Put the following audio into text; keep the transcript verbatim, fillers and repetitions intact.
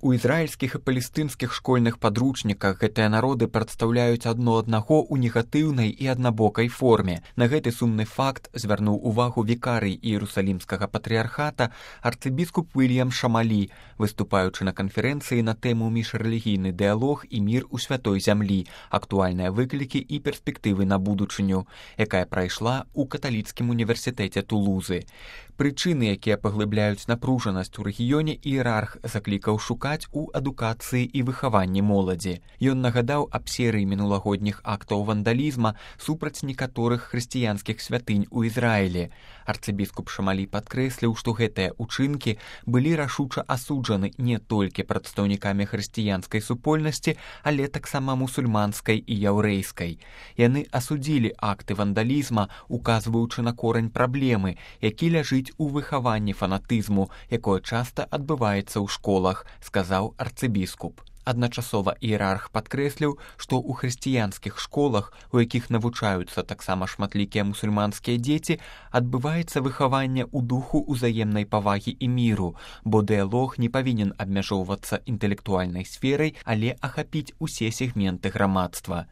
У ізраільскіх і палестынскіх школьных падручніках гэтыя народы прадстаўляюць адно аднаго ў негатыўнай і аднабокай форме. На гэты сумны факт звярнуў увагу вікарый Іерусалімскага патрыархата арцыбіскуп Уільям Шамалі, выступаючы на канферэнцыі на тэму «Міжрэлігійны дыялог і мір у святой зямлі. Актуальныя выклікі і перспектывы на будучыню», якая прайшла ў каталіцкім універсітэце Тулузы. Прычыны, якія паглыбляюць напружанасць у рэгіёне, іерарх заклікаў шукаць у адукацыі і выхаванні моладзі. Ён нагадаў аб серыі мінулагодніх актаў вандалізма супраць некаторых хрысціянскіх святынь у Ізраілі. Арцыбіскуп Шамалі падкрэсліў, што гэтыя ўчынкі былі рашуча асуджаны не толькі прадстаўнікамі хрысціянскай супольнасці, але таксама мусульманскай і яўрэйскай. Яны асудзілі акты вандалізма, указваючы на корань праблемы, які ляжыць у выхаванні фанатызму, якое часта адбываецца ў школах, сказаў арцыбіскуп. Адначасова іерарх падкрэсліў, што ў хрысціянскіх школах, у якіх навучаюцца таксама шматлікія мусульманскія дзеці, адбываецца выхаванне ў духу ўзаемнай павагі і міру, бо дыялог не павінен абмяжоўвацца інтэлектуальнай сферай, але ахапіць усе сегменты грамадства.